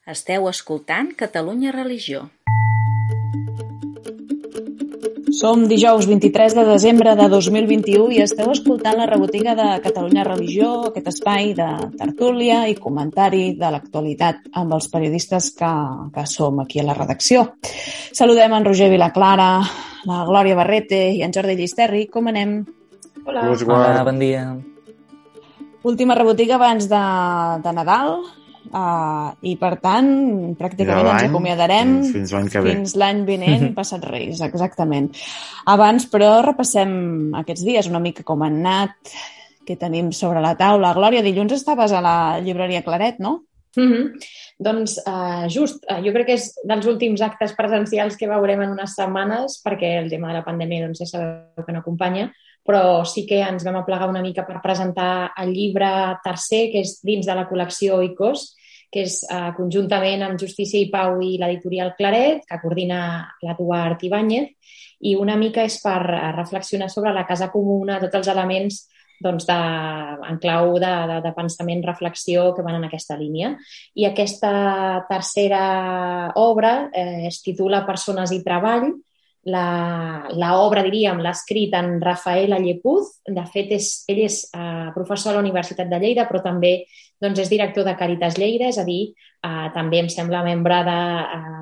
Esteu escoltant Catalunya Religió. Som dijous 23 de desembre de 2021 i esteu escoltant la rebotiga de Catalunya Religió, aquest espai de tertúlia i comentari de l'actualitat amb els periodistes que som aquí a la redacció. Saludem en Roger Vilaclara, la Glòria Barrete i en Jordi Llisterri. Com anem? Hola. Hola, bon dia. Última rebotiga abans de Nadal. I per tant, pràcticament ens acomiadarem fins l'any que ve. Fins l'any vinent, passat Reis, exactament. Abans, però, repassem aquests dies una mica com han anat, què tenim sobre la taula. Glòria, dilluns estaves a la llibreria Claret, no? Doncs jo crec que és dels últims actes presencials que veurem en unes setmanes, perquè el tema de la pandèmia ja sabeu que no acompanya, però sí que ens vam aplegar una mica per presentar el llibre tercer, que és dins de la col·lecció ICOS, que és conjuntament amb Justícia i Pau i l'editorial Claret, que coordina l'Eduard Ibáñez, i una mica és per reflexionar sobre la casa comuna, tots els elements en clau de pensament, reflexió que van en aquesta línia. I aquesta tercera obra es titula Persones i treball. L'obra, diríem, l'ha escrit en Rafael Allepuz. De fet, ell és professor a la Universitat de Lleida, però també és director de Càritas Lleida, és a dir, també em sembla membre de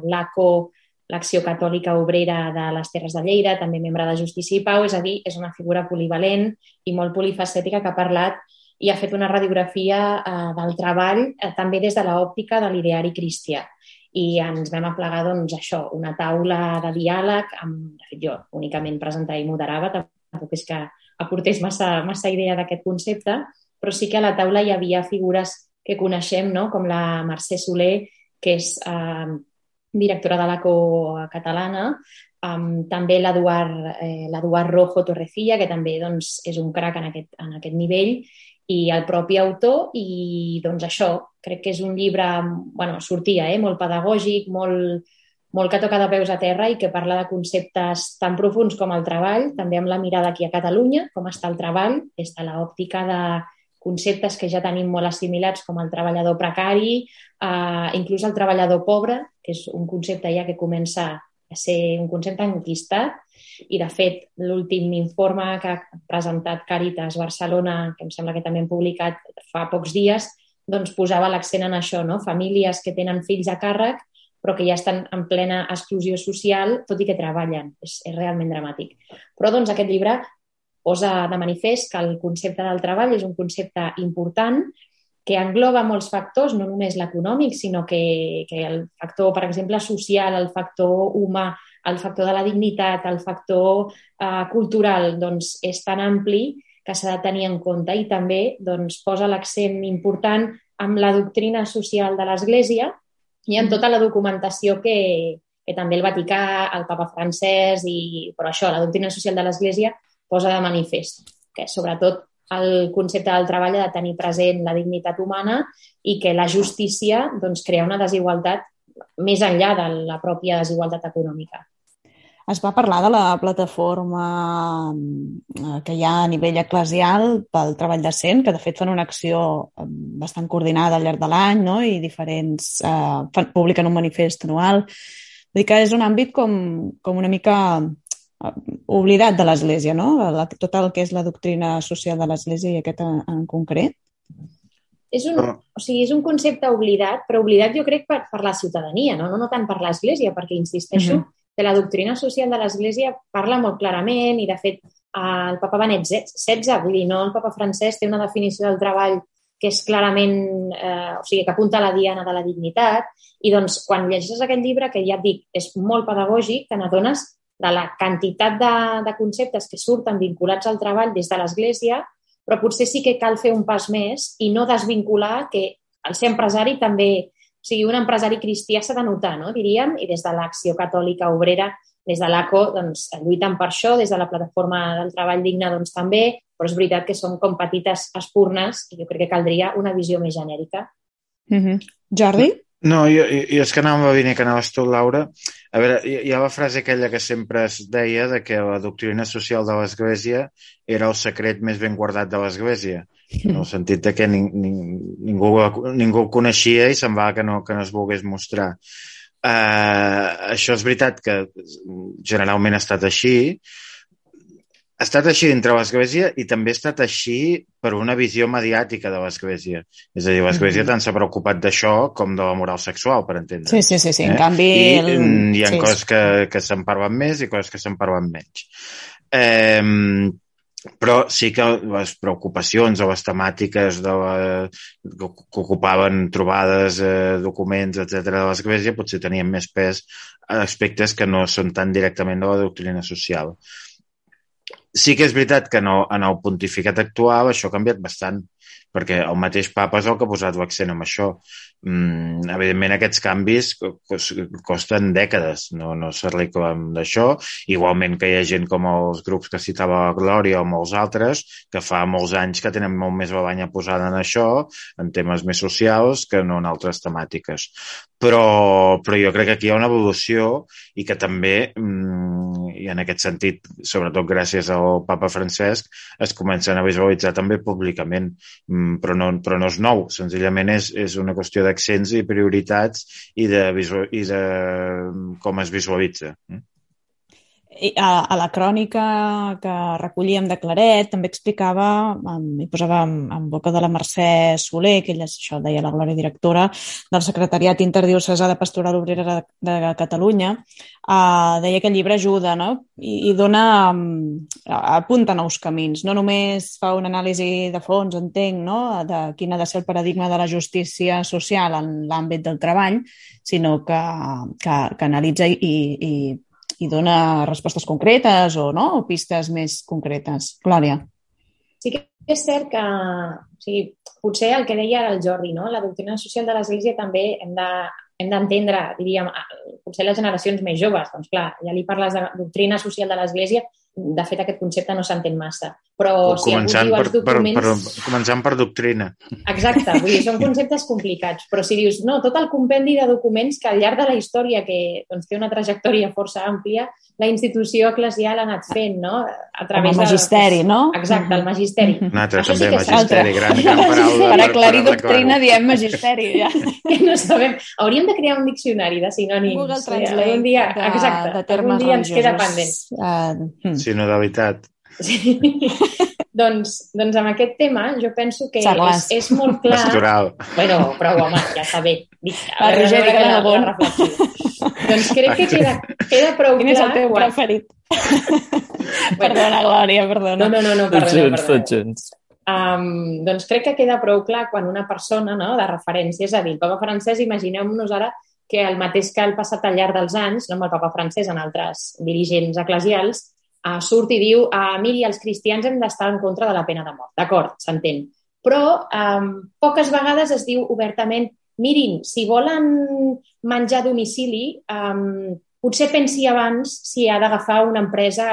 l'ACO, l'Acció Catòlica Obrera de les Terres de Lleida, també membre de Justícia i Pau, és a dir, és una figura polivalent i molt polifacètica que ha parlat i ha fet una radiografia del treball també des de l'òptica de l'ideari cristià. I ens vam aplegar, això, una taula de diàleg, de fet jo únicament presentava i moderava, tampoc és que aportés massa idea d'aquest concepte, però sí que a la taula hi havia figures que coneixem, no? Com la Mercè Soler, que és directora de l'ACO catalana, també l'Eduard Rojo Torrecilla, que també és un crac en aquest nivell, i el propi autor, i això, crec que és un llibre, sortia, molt pedagògic, molt que toca de peus a terra i que parla de conceptes tan profuns com el treball, també amb la mirada aquí a Catalunya, com està el treball, des de l'òptica de conceptes que ja tenim molt assimilats com el treballador precari, inclús el treballador pobre, que és un concepte ja que comença a ser un concepte enquistat, i de fet l'últim informe que ha presentat Càritas Barcelona, que em sembla que també hem publicat fa pocs dies, posava l'accent en això, no? Famílies que tenen fills a càrrec però que ja estan en plena exclusió social, tot i que treballen. És realment dramàtic. Però aquest llibre posa de manifest que el concepte del treball és un concepte important que engloba molts factors, no només l'econòmic, sinó que el factor, per exemple, social, el factor humà, el factor de la dignitat, el factor cultural, és tan ampli que s'ha de tenir en compte i també posa l'accent important en la doctrina social de l'Església i en tota la documentació que també el Vaticà, el Papa Francesc, però això, la doctrina social de l'Església posa de manifest que sobretot el concepte del treball ha de tenir present la dignitat humana i que la justícia crea una desigualtat més enllà de la pròpia desigualtat econòmica. Es va parlar de la plataforma que hi ha a nivell eclesial pel treball decent, que de fet fan una acció bastant coordinada al llarg de l'any, no? I diferents publiquen un manifest anual. Vull dir que és un àmbit com una mica oblidat de l'Església, no? Tot el que és la doctrina social de l'Església i aquest en concret. És un concepte oblidat, però oblidat jo crec per la ciutadania, no tant per l'Església, perquè insisteixo que la doctrina social de l'Església parla molt clarament i de fet el Papa Benet XVI, vull dir, no el Papa Francesc té una definició del treball que és clarament, que apunta a la diana de la dignitat i quan llegeixes aquest llibre, que ja et dic, és molt pedagògic, te n'adones de la quantitat de conceptes que surten vinculats al treball des de l'Església, però potser sí que cal fer un pas més i no desvincular que el ser empresari també, un empresari cristià s'ha de notar, no? Diríem, i des de l'Acció Catòlica Obrera, des de l'ACO, lluiten per això, des de la plataforma del treball digne també, però és veritat que són com petites espurnes i jo crec que caldria una visió més genèrica. Jordi? No, jo és que anava venint que anaves tu, Laura. A veure, hi ha la frase aquella que sempre es deia de que la doctrina social de l'Església era el secret més ben guardat de l'Església, en el sentit de que ningú el coneixia i semblava que no es volgués mostrar. Això és veritat que generalment ha estat així, dintre l'Església i també ha estat així per una visió mediàtica de l'Església. És a dir, l'Església tant s'ha preocupat d'això com de la moral sexual, per entendre. Sí. En canvi... Hi ha coses que se'n parlen més i coses que se'n parlen menys. Però sí que les preocupacions o les temàtiques que ocupaven trobades, documents, etc. de l'Església potser tenien més pes a aspectes que no són tan directament de la doctrina social. Sí que és veritat que en el pontificat actual això ha canviat bastant, perquè el mateix papa és el que ha posat l'accent en això. Evidentment, aquests canvis costen dècades, no s'arreglen d'això. Igualment que hi ha gent com els grups que citava la Glòria o molts altres, que fa molts anys que tenen molt més la banya posada en això, en temes més socials que no en altres temàtiques. Però jo crec que aquí hi ha una evolució i que també, i en aquest sentit, sobretot gràcies al papa Francesc, es comencen a visualitzar també públicament, però no és nou, senzillament és una qüestió d'accents i prioritats i de com es visualitza. A la crònica que recollíem de Claret també explicava, i posava en boca de la Mercè Soler, que ella això deia la Glòria directora del Secretariat Interdiocesà de Pastoral Obrera de Catalunya, deia que el llibre ajuda, no? I apunta nous camins. No només fa una anàlisi de fons, entenc, no? De quin ha de ser el paradigma de la justícia social en l'àmbit del treball, sinó que analitza i dona respostes concretes o pistes més concretes. Glòria. Sí que és cert que potser el que deia ara el Jordi, no? La doctrina social de l'Església també hem d'entendre, diríem, potser les generacions més joves, doncs clar, ja li parles de doctrina social de l'Església, de fet aquest concepte no s'entén massa, però si algú diu els documents... Començant per doctrina. Exacte, vull dir, són conceptes complicats, però si dius, no, tot el compendi de documents que al llarg de la història, que doncs, té una trajectòria força àmplia, la institució eclesial ha anat fent, no? A través del magisteri, no? Exacte, el magisteri. Un altre, també, magisteri, gran paraula. Per aclarir doctrina diem magisteri, ja. Que no sabem. Hauríem de crear un diccionari de sinònims. Google Translate de termes religiosos. Ens queda pendent. Sinodalitat. Sí. doncs amb aquest tema jo penso que és molt clar... Pastoral. Bueno, però home, ja està bé. Roger, digue-li algun. Doncs crec que queda prou clar... Quin és el teu preferit? Perdona, Glòria, perdona. No, perdona. Tots junts. Doncs crec que queda prou clar quan una persona, no, de referència, és a dir, el papa francès, imagineu-nos ara que el mateix que el passat al llarg dels anys, no amb el papa francès, en altres dirigents eclesials, surt i diu, miri, els cristians hem d'estar en contra de la pena de mort. D'acord, s'entén. Però poques vegades es diu obertament, mirin, si volen menjar a domicili, potser pensi abans si ha d'agafar una empresa,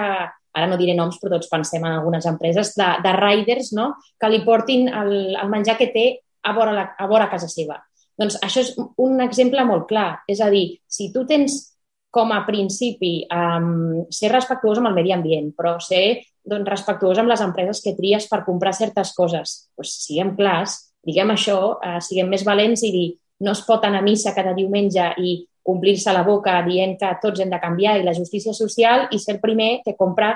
ara no diré noms, però tots pensem en algunes empreses, de riders, no?, que li portin el menjar que té a vora casa seva. Doncs això és un exemple molt clar. És a dir, si tu tens com a principi ser respectuós amb el medi ambient, però ser respectuós amb les empreses que tries per comprar certes coses. Doncs siguem clars, diguem això, siguem més valents i dir no es pot anar a missa cada diumenge i omplir-se la boca dient que tots hem de canviar i la justícia social i ser el primer que compra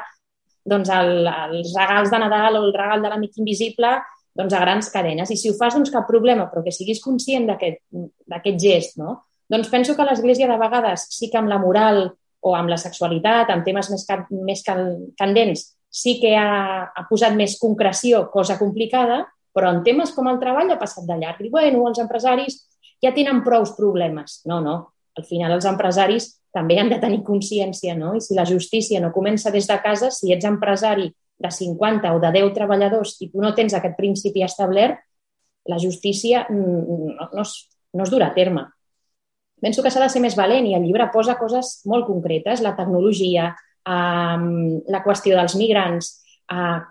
els regals de Nadal o el regal de l'amic invisible a grans cadenes. I si ho fas, doncs cap problema, però que siguis conscient d'aquest gest, no? Doncs penso que l'Església de vegades sí que amb la moral o amb la sexualitat, amb temes més candents, sí que ha posat més concreció, cosa complicada, però en temes com el treball ha passat de llarg. I bueno, els empresaris ja tenen prous problemes. No. Al final els empresaris també han de tenir consciència, no? I si la justícia no comença des de casa, si ets empresari de 50 o de 10 treballadors i tu no tens aquest principi establert, la justícia no es durà a terme. Penso que s'ha de ser més valent i el llibre posa coses molt concretes, la tecnologia, la qüestió dels migrants,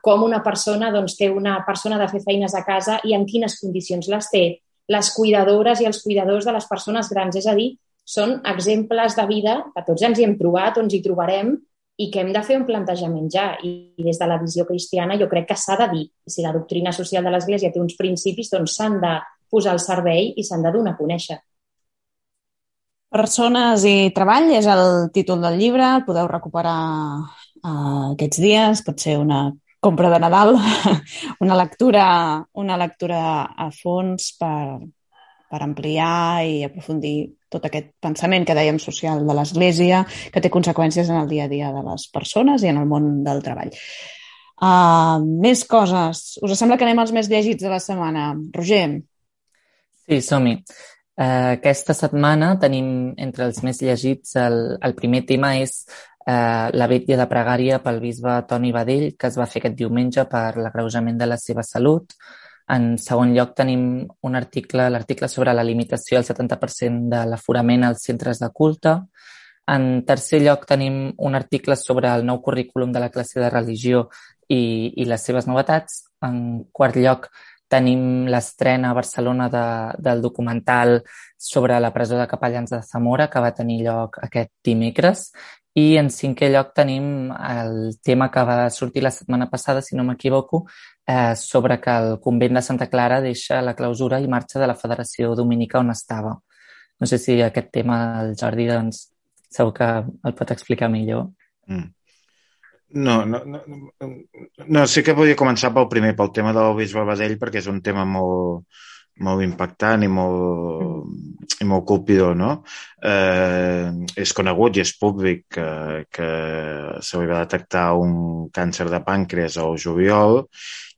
com una persona té una persona de fer feines a casa i en quines condicions les té, les cuidadores i els cuidadors de les persones grans. És a dir, són exemples de vida que tots ens hi hem trobat o ens hi trobarem i que hem de fer un plantejament ja. I des de la visió cristiana jo crec que s'ha de dir. Si la doctrina social de l'Església té uns principis, doncs s'han de posar al servei i s'han de donar a conèixer. Persones i treball és el títol del llibre, el podeu recuperar aquests dies, pot ser una compra de Nadal, una lectura a fons per ampliar i aprofundir tot aquest pensament que dèiem social de l'Església, que té conseqüències en el dia a dia de les persones i en el món del treball. Més coses. Us sembla que anem als més llegits de la setmana? Roger? Sí, som-hi. Aquesta setmana tenim entre els més llegits el primer tema és la vetlla de pregària pel bisbe Toni Badell, que es va fer aquest diumenge per l'agreujament de la seva salut. En segon lloc tenim un article, l'article sobre la limitació al 70% de l'aforament als centres de culte. En tercer lloc tenim un article sobre el nou currículum de la classe de religió i les seves novetats. En quart lloc tenim l'estrena a Barcelona del documental sobre la presó de capellans de Zamora, que va tenir lloc aquest dimecres. I en cinquè lloc tenim el tema que va sortir la setmana passada, si no m'equivoco, sobre que el convent de Santa Clara deixa la clausura i marxa de la Federació Dominica on estava. No sé si aquest tema el Jordi doncs, segur que el pot explicar millor. No, sí que volia començar pel tema del bisbe Badell, perquè és un tema molt impactant i molt colpidor, no? És conegut i és públic que se li va detectar un càncer de pàncreas al juliol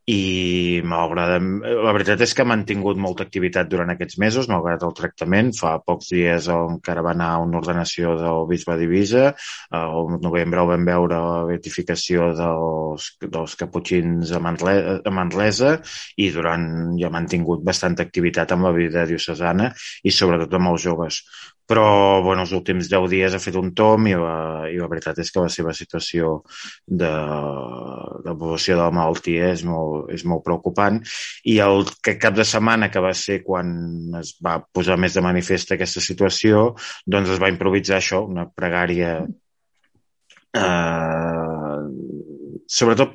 i la veritat és que ha mantingut molta activitat durant aquests mesos, malgrat el tractament. Fa pocs dies encara va anar a una ordenació del bisbe d'Eivissa, al novembre el vam veure la beatificació dels caputxins a Manresa i ja ha mantingut bastanta activitat amb la vida diocesana i sobretot amb els joves. Però els últims 10 dies ha fet un tomb i la veritat és que la seva situació d'evolució de la malaltia és molt preocupant. I el cap de setmana, que va ser quan es va posar més de manifest aquesta situació, doncs es va improvisar això, una pregària sobretot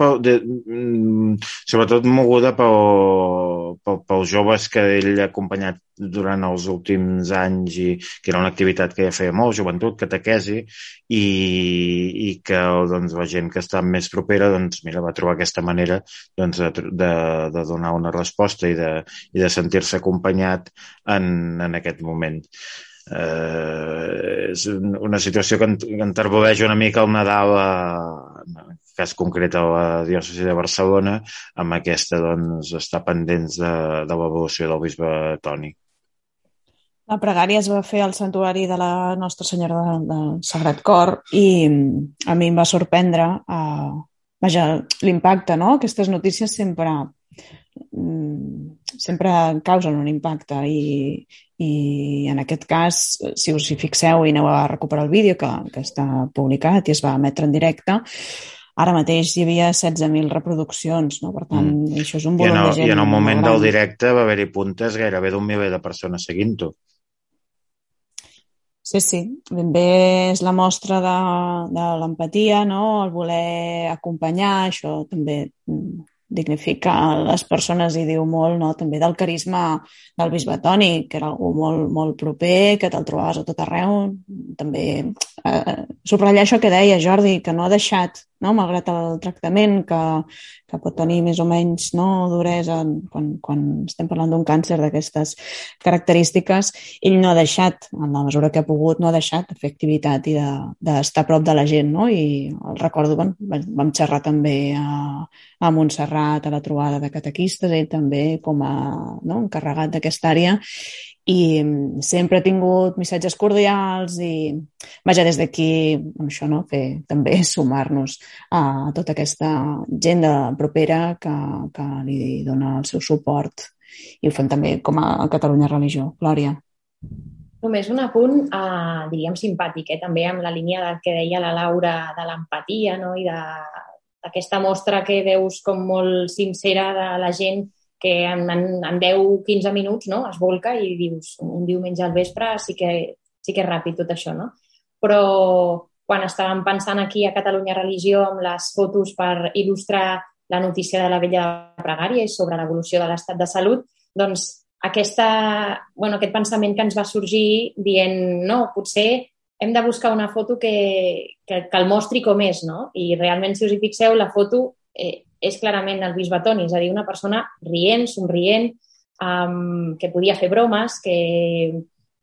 moguda pels joves que ell ha acompanyat durant els últims anys i que era una activitat que ja feia molt, joventut, catequesi, i que la gent que està més propera va trobar aquesta manera de donar una resposta i de sentir-se acompanyat en aquest moment. És una situació que enterboleix una mica el Nadal, en el cas concret a la diòcesi de Barcelona, amb aquesta estar pendents de l'evolució del bisbe Toni. La pregària es va fer al santuari de la Nostra Senyora del Sagrat Cor i a mi em va sorprendre l'impacte, no? Aquestes notícies sempre causen un impacte i en aquest cas, si us hi fixeu i aneu a recuperar el vídeo que està publicat i es va emetre en directe, ara mateix hi havia 16.000 reproduccions, no? Per tant, això és un volum de gent. I en el moment del directe va haver-hi puntes gairebé d'1 miler de persones seguint-ho. Sí, ben bé és la mostra de l'empatia, no? El voler acompanyar, això també dignifica les persones i diu molt, no? També del carisma del bisbe Toni, que era algú molt, molt proper, que te'l trobaves a tot arreu. També subratllar això que deia Jordi, que no ha deixat, no? Malgrat el tractament que pot tenir més o menys, no, duresa quan estem parlant d'un càncer d'aquestes característiques, ell no ha deixat, en la mesura que ha pogut, no ha deixat de fer activitat i d'estar a prop de la gent, no? I el recordo, vam xerrar també a Montserrat a la trobada de catequistes, ell també com a encarregat d'aquesta àrea, i sempre ha tingut missatges cordials i, vaja, des d'aquí, això, no? Fer també sumar-nos a tota aquesta gent propera que li dona el seu suport i ho fem també com a Catalunya Religió. Glòria. Només un apunt, diríem simpàtic, també amb la línia del que deia la Laura de l'empatia, no? I d'aquesta mostra que veus com molt sincera de la gent que en 10-15 minuts, no? Es volca i dius, un diumenge al vespre sí que sí que és ràpid tot això, no? Però quan estàvem pensant aquí a Catalunya Religió amb les fotos per il·lustrar la notícia de la vella de pregària i sobre l'evolució de l'estat de salut, doncs aquest pensament que ens va sorgir dient, no, potser hem de buscar una foto que el mostri com és, no? I realment, si us hi fixeu, la foto és clarament el bisbe Toni, és a dir, una persona rient, somrient, que podia fer bromes, que,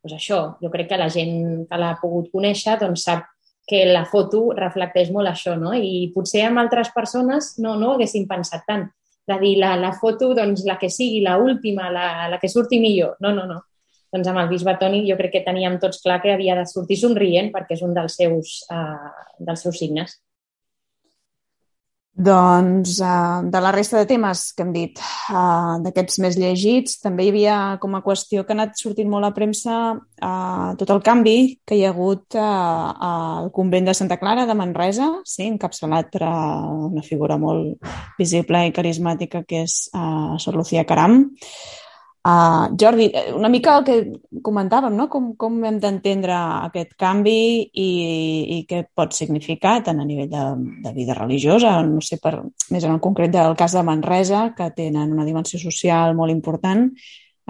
doncs això, jo crec que la gent que l'ha pogut conèixer doncs sap que la foto reflecteix molt això, no? I potser amb altres persones no ho haguessin pensat tant. De dir, la foto, doncs, la que sigui, la última, la que surti millor. No. Doncs amb el bisbe Toni jo crec que teníem tots clar que havia de sortir somrient perquè és un dels seus signes. Doncs de la resta de temes que hem dit, d'aquests més llegits, també hi havia com a qüestió que ha anat sortint molt a premsa tot el canvi que hi ha hagut al convent de Santa Clara de Manresa, sí, encapçalat per una figura molt visible i carismàtica que és Sor Lucía Caram. Jordi, una mica el que comentàvem, no? Com hem d'entendre aquest canvi i què pot significar tant a nivell de vida religiosa, no sé, més en el concret del cas de Manresa, que tenen una dimensió social molt important.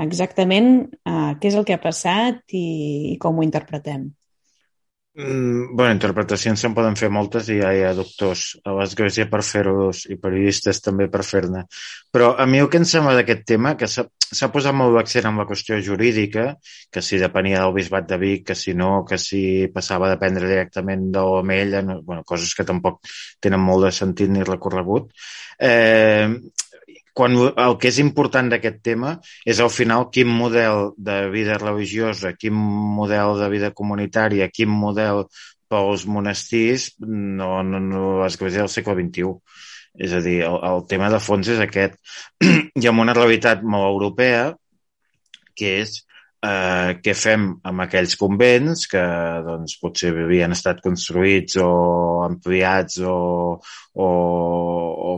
Exactament què és el que ha passat i com ho interpretem? Interpretacions se'n poden fer moltes i ja hi ha doctors a l'Església per fer-los i periodistes també per fer-ne. Però a mi el que em sembla d'aquest tema, que s'ha posat molt l'accent en la qüestió jurídica, que si depenia del bisbat de Vic, que si no, que si passava a dependre directament de l'Omella, coses que tampoc tenen molt de sentit ni recorregut. Quan el que és important d'aquest tema és al final quin model de vida religiosa, quin model de vida comunitària, quin model pels monestirs l'Església del segle XXI. És a dir, el tema de fons és aquest. Hi ha una realitat molt europea que és què fem amb aquells convents que doncs, potser havien estat construïts o ampliats o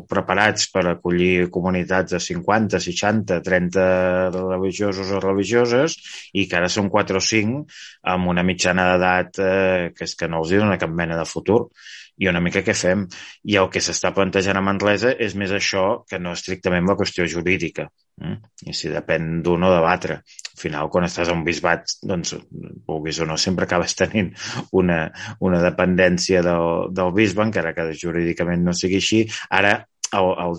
preparats per acollir comunitats de 50, 60, 30 religiosos o religioses i que ara són 4 o 5 amb una mitjana d'edat que és que no els dona cap mena de futur. I una mica què fem? I el que s'està plantejant a Manresa és més això que no estrictament la qüestió jurídica. I si depèn d'un o de l'altre. Al final, quan estàs a un bisbat, doncs, vulguis o no, sempre acabes tenint una dependència del bisbe, encara que jurídicament no sigui així. Ara, al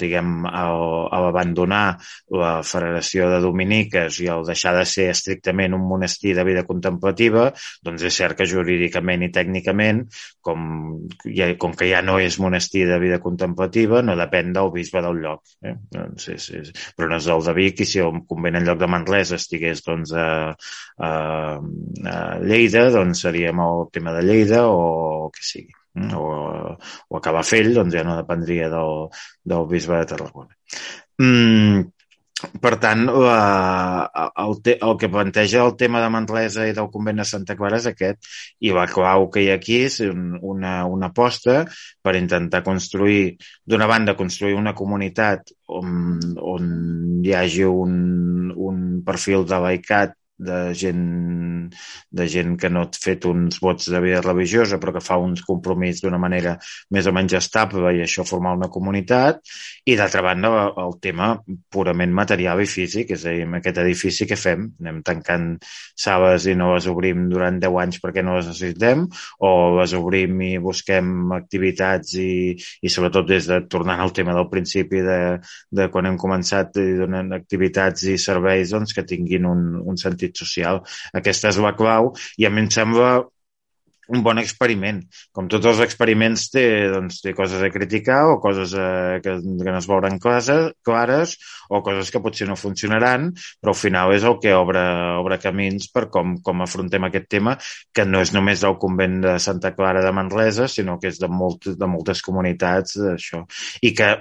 abandonar la Federació de Dominiques i el deixar de ser estrictament un monestir de vida contemplativa, doncs és cert que jurídicament i tècnicament, com que ja no és monestir de vida contemplativa, no depèn del bisbe del lloc. Doncs però no és del de Vic, i si el convent en lloc de Manresa estigués doncs, a Lleida, doncs seríem el tema de Lleida o el que sigui. O a Calafell, doncs ja no dependria del bisbe de Tarragona. Per tant, el que planteja el tema de Manresa i del convent de Santa Clara és aquest, i la clau que hi ha aquí és una aposta per intentar construir, d'una banda, construir una comunitat on hi hagi un perfil de laicat de gent que no ha fet uns vots de vida religiosa però que fa uns compromís d'una manera més o menys estable i això formar una comunitat, i d'altra banda el tema purament material i físic, és a dir, amb aquest edifici què fem? Anem tancant sales i no les obrim durant 10 anys perquè no les necessitem, o les obrim i busquem activitats i sobretot tornant al tema del principi de quan hem començat, i donant activitats i serveis doncs, que tinguin un sentit social. Aquesta és la clau i a mi em sembla un bon experiment. Com tots els experiments té coses a criticar o coses que no es veuran clares o coses que potser no funcionaran, però al final és el que obre camins per com afrontem aquest tema, que no és només del convent de Santa Clara de Manresa, sinó que és de moltes comunitats d'això. I que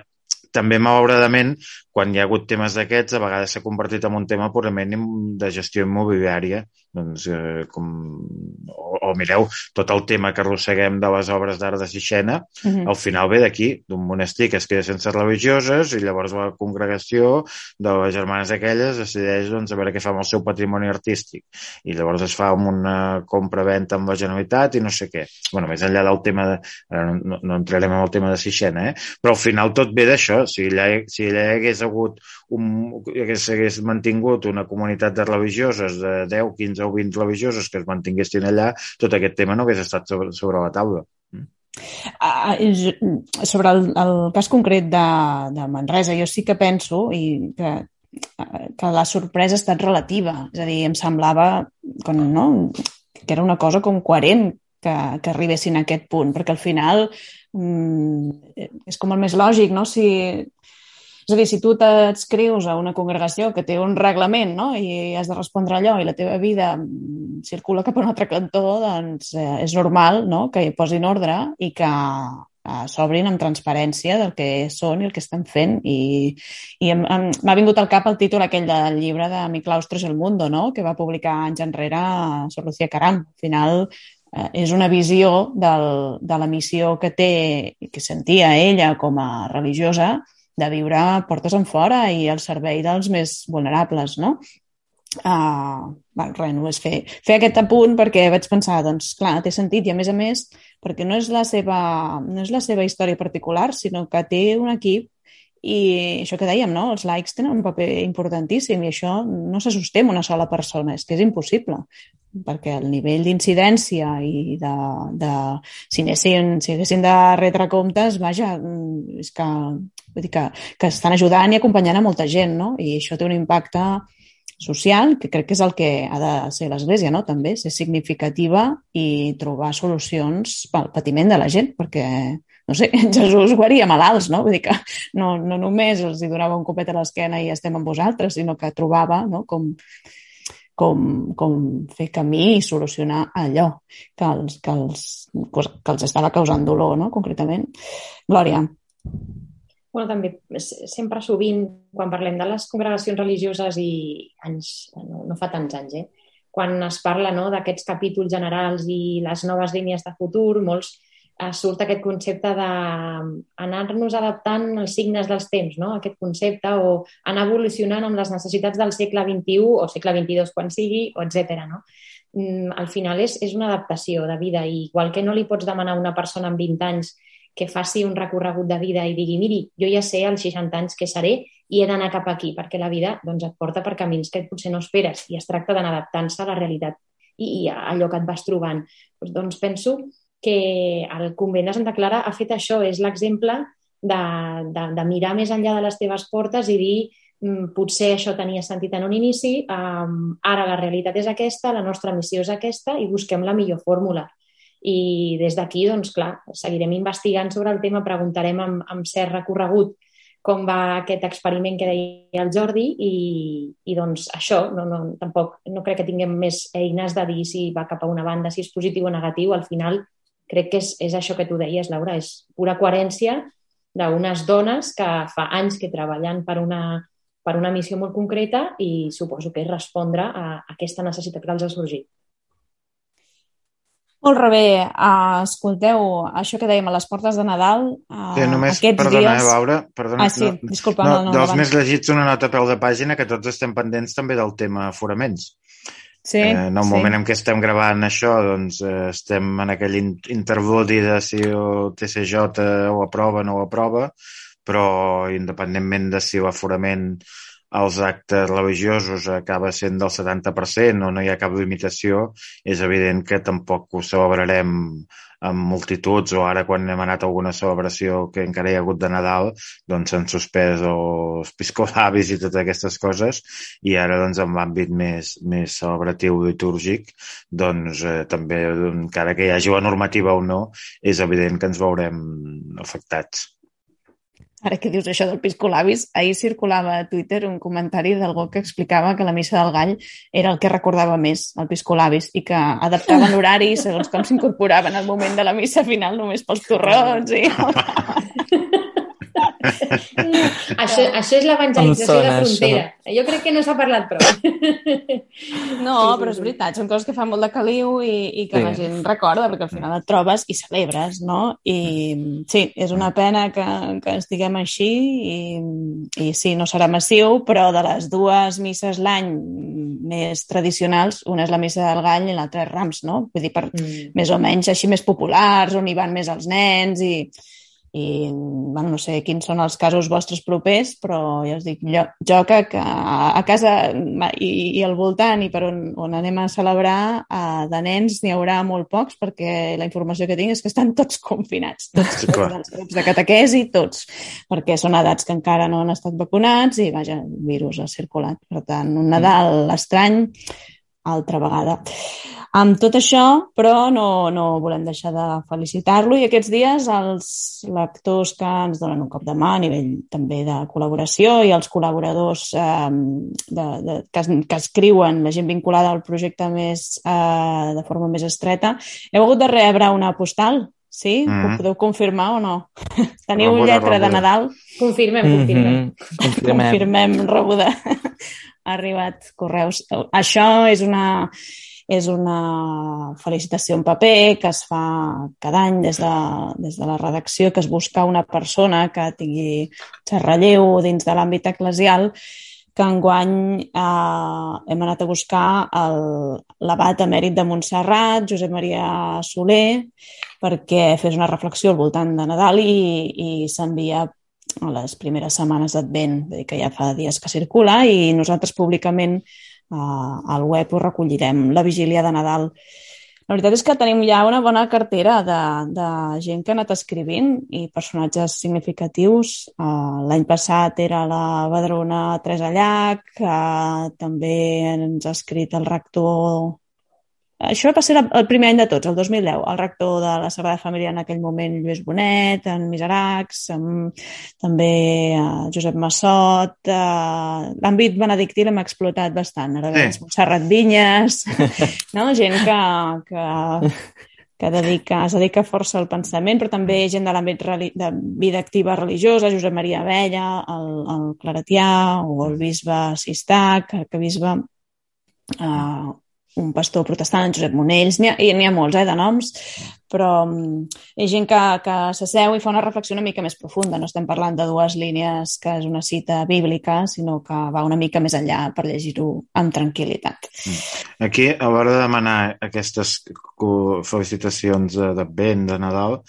també, malauradament, quan hi ha hagut temes d'aquests, a vegades s'ha convertit en un tema purament de gestió immobiliària. Doncs, o mireu, tot el tema que arrosseguem de les obres d'art de Sixena, al final ve d'aquí, d'un monestir que es queda sense religioses, i llavors la congregació de les germanes aquelles decideix, doncs, a veure què fa amb el seu patrimoni artístic. I llavors es fa una compra-venta amb la Generalitat i no sé què. Bueno, més enllà del tema no entrarem en el tema de Sixena, però al final tot ve d'això. Si allà hagués mantingut una comunitat de religioses de 10, 15 o 20 religioses que es mantinguessin allà, tot aquest tema no hagués estat sobre la taula. Sobre el cas concret de Manresa, jo sí que penso que la sorpresa ha estat relativa. És a dir, em semblava que era una cosa com coherent que arribessin a aquest punt, perquè al final és com el més lògic, no? És a dir, si tu t'adscrius a una congregació que té un reglament, no? I has de respondre allò i la teva vida circula cap a un altre cantó, doncs és normal, no? Que hi posin ordre i que s'obrin amb transparència del que són i el que estan fent. I m'ha vingut al cap el títol aquell del llibre de Mi claustro es el mundo, no? Que va publicar anys enrere Sor Lucía Caram. Al final és una visió de la missió que té, que sentia ella com a religiosa, de viure portes enfora i al servei dels més vulnerables, no? Només fer aquest apunt perquè vaig pensar, doncs clar, té sentit, i a més, perquè no és la seva història particular, sinó que té un equip, i això que dèiem, no? Els laics tenen un paper importantíssim i això no se sosté amb una sola persona, és que és impossible, perquè el nivell d'incidència i si haguessin de retre comptes, vaja, és que vull dir que estan ajudant i acompanyant a molta gent, no? I això té un impacte social, que crec que és el que ha de ser l'Església, no? També ser significativa i trobar solucions pel patiment de la gent, perquè, no sé, Jesús guaria malalts, no? Vull dir que no només els hi donava un copet a l'esquena i estem amb vosaltres, sinó que trobava, no? Com fer camí i solucionar allò que els estava causant dolor, no? Concretament. Glòria. Bueno, també, sempre sovint, quan parlem de les congregacions religioses i no fa tants anys, quan es parla d'aquests capítols generals i les noves línies de futur, molts surt aquest concepte d'anar-nos adaptant als signes dels temps, no? Aquest concepte, o anar evolucionant amb les necessitats del segle XXI o segle XXII quan sigui, etc. No? Al final és una adaptació de vida, i igual que no li pots demanar a una persona amb 20 anys que faci un recorregut de vida i digui, miri, jo ja sé als 60 anys què seré i he d'anar cap aquí, perquè la vida et porta per camins que potser no esperes i es tracta d'anar adaptant-se a la realitat i a allò que et vas trobant. Doncs penso que el convent de Santa Clara ha fet això, és l'exemple de mirar més enllà de les teves portes i dir, potser això tenia sentit en un inici, ara la realitat és aquesta, la nostra missió és aquesta i busquem la millor fórmula. I des d'aquí, doncs clar, seguirem investigant sobre el tema, preguntarem amb cert recorregut com va aquest experiment que deia el Jordi i doncs això, tampoc no crec que tinguem més eines de dir si va cap a una banda, si és positiu o negatiu. Al final crec que és això que tu deies, Laura, és pura coherència d'unes dones que fa anys que treballen per una missió molt concreta i suposo que és respondre a aquesta necessitat que els ha sorgit. Molt bé, escolteu, això que dèiem a les portes de Nadal, només, aquests perdona, dies... Laura, perdona. Sí, disculpa. Dels més llegits, una nota a peu de pàgina, que tots estem pendents també del tema aforaments. Sí, en el moment en què estem gravant això, doncs estem en aquell interludi de si el TCJ ho aprova o no ho aprova, però independentment de si l'aforament als actes religiosos acaba sent del 70% o no hi ha cap limitació, és evident que tampoc ho celebrarem amb multituds, o ara quan hem anat a alguna celebració que encara hi ha hagut de Nadal, doncs s'han suspès els piscolabis i totes aquestes coses, i ara doncs en l'àmbit més celebratiu litúrgic, doncs també, encara que hi hagi la normativa o no, és evident que ens veurem afectats. Ara que dius això del piscolabis, ahir circulava a Twitter un comentari d'algú que explicava que la missa del gall era el que recordava més, el piscolabis, i que adaptaven l'horari segons com s'incorporaven al moment de la missa final només pels torrons. Això és l'evangelització de frontera. Això? Jo crec que no s'ha parlat prou. No, però és veritat, són coses que fan molt de caliu i que la gent recorda, perquè al final et trobes i celebres, no? I sí, és una pena que estiguem així i sí, no serà massiu, però de les dues misses l'any més tradicionals, una és la missa del Gall i l'altra és Rams, no? Vull dir, més o menys així més populars, on hi van més els nens i bueno, no sé quins són els casos vostres propers, però ja us dic, jo que a casa i al voltant i per on anem a celebrar de nens n'hi haurà molt pocs, perquè la informació que tinc és que estan tots confinats, tots els grups de catequesi, tots, perquè són edats que encara no han estat vacunats i vaja, el virus ha circulat. Per tant, un Nadal estrany, altra vegada. Amb tot això, però no volem deixar de felicitar-lo i aquests dies els lectors que ens donen un cop de mà a nivell també de col·laboració i els col·laboradors que escriuen, la gent vinculada al projecte de forma més estreta, heu hagut de rebre una postal? Sí? Ho podeu confirmar o no? Teniu lletra de Nadal? Confirmem. Confirmem, rebuda. Ha arribat correus. Això és una felicitació en paper que es fa cada any des de la redacció, que es busca una persona que tingui relleu dins de l'àmbit eclesial, que enguany hem anat a buscar l'abat emèrit de Montserrat, Josep Maria Soler, perquè fes una reflexió al voltant de Nadal i s'envia a les primeres setmanes d'Advent, que ja fa dies que circula, i nosaltres públicament al web ho recollirem, la vigília de Nadal. La veritat és que tenim ja una bona cartera de gent que ha anat escrivint i personatges significatius. L'any passat era la Badrona Teresa Llach, també ens ha escrit el rector... Això va ser el primer any de tots, el 2010, el rector de la Sagrada Família en aquell moment, Lluís Bonet, en Miseracs, també Josep Massot, l'àmbit benedictí l'hem explotat bastant, ara veus, Montserrat Vinyes, no? Gent que es dedica força al pensament, però també gent de l'àmbit de vida activa religiosa, Josep Maria Abella, el Claretià o el bisbe Sistac, arquebisbe, un pastor protestant, Josep Monells, n'hi ha molts de noms, però hi ha gent que s'asseu i fa una reflexió una mica més profunda. No estem parlant de dues línies que és una cita bíblica, sinó que va una mica més enllà per llegir-ho amb tranquil·litat. Aquí, a l'hora de demanar aquestes felicitacions d'Advent, de Nadal,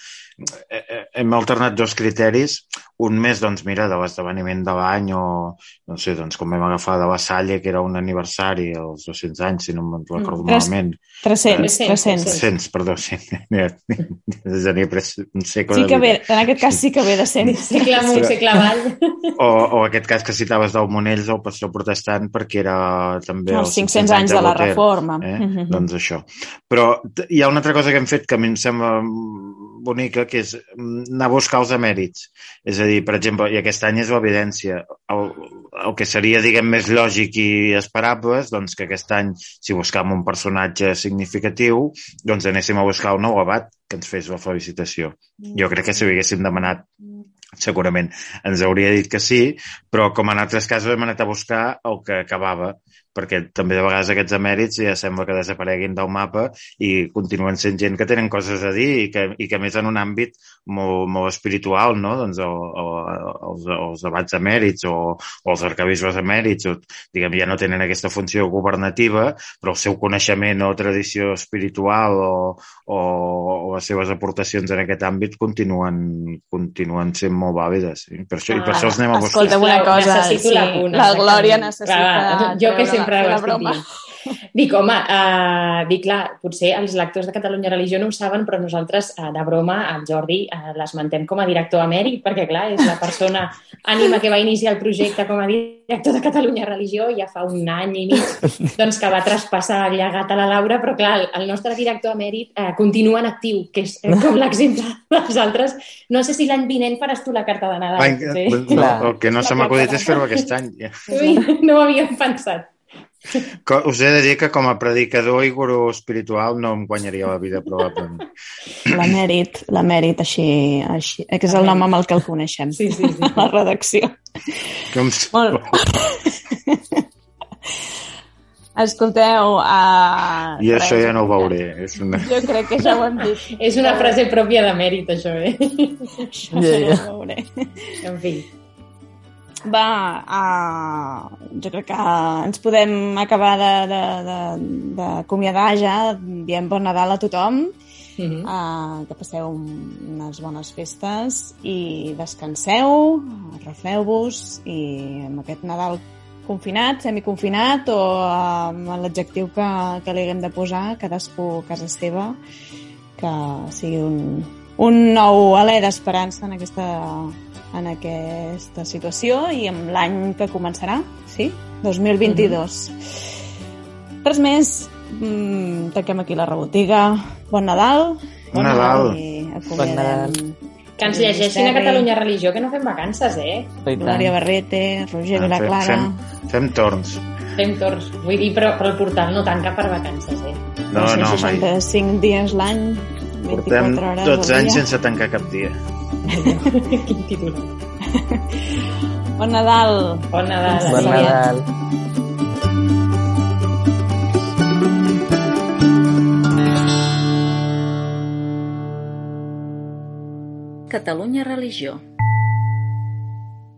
hem alternat dos criteris. Un més, doncs, mira, de l'esdeveniment de l'any o, no sé, doncs, com vam agafar de la Salle, que era un aniversari, els 200 anys, si no me'n recordo malament. 300, perdó, sí. Un segle sí que ve, en aquest cas sí que ve de 100. Segle amunt, segle avall. O aquest cas que citaves del Monells, el pastor protestant, perquè era també els 500 anys de la Reforma. Doncs això. Però hi ha una altra cosa que hem fet que a mi em sembla bonica, que és anar a buscar els emèrits. És a dir, per exemple, i aquest any és l'evidència, el que seria, diguem, més lògic i esperable, doncs que aquest any, si buscàvem un personatge significatiu, doncs anéssim a buscar un nou abat que ens fes la felicitació. Jo crec que si ho haguéssim demanat, segurament ens hauria dit que sí, però com en altres casos hem anat a buscar el que acabava, perquè també de vegades aquests emèrits ja sembla que desapareguin del mapa i continuen sent gent que tenen coses a dir i que més en un àmbit molt espiritual, no? Doncs els abats emèrits o els arquebisbes emèrits, diguem, ja no tenen aquesta funció governativa, però el seu coneixement o tradició espiritual o les seves aportacions en aquest àmbit continuen sent molt vàlides. Sí? Per això els anem a buscar. Escolta una cosa, sí, la Glòria necessita... Jo que sempre ho estic dient. Dic, home, clar, potser els lectors de Catalunya Religió no ho saben, però nosaltres, de broma, el Jordi l'esmentem com a director emèrit, perquè, clar, és la persona ànima que va iniciar el projecte com a director de Catalunya Religió ja fa un any i mig, doncs que va traspassar el llegat a la Laura, però, clar, el nostre director emèrit continua en actiu, que és com l'exemple dels altres. No sé si l'any vinent faràs tu la carta de Nadal. No, el que no se m'ha acudit és fer-ho aquest any. No ho havíem pensat. Us he de dir que com a predicador i gurú espiritual no em guanyaria la vida, probablement. L'emèrit, així, que és el nom amb el que el coneixem. Sí. A la redacció. Molt. Escolteu... I això ja no ho veuré. Jo crec que ja ho hem dit. És una frase pròpia d'emèrit, això, Això ja ho veuré. En fi. Jo crec que ens podem acabar d'acomiadar ja dient bon Nadal a tothom, que passeu unes bones festes i descanseu, refreu-vos i amb aquest Nadal confinat, semiconfinat o amb l'adjectiu que li haguem de posar, cadascú a casa seva, que sigui un nou alè d'esperança en aquesta situació i amb l'any que començarà, sí? 2022. Res més, tanquem aquí la rebotiga. Bon Nadal. Bon Nadal. Bon Nadal. Que ens llegeixin a Catalunya Religió, que no fem vacances, Glòria Barrete, Roger Vilaclara. Fem torns. Fem torns. Vull dir, però el portal no tanca per vacances, No, mai. 65 dies l'any, 24 hores 12 anys sense tancar cap dia. Quin titular. Bon Nadal. Bon Nadal. Bon Nadal. Catalunya Religió.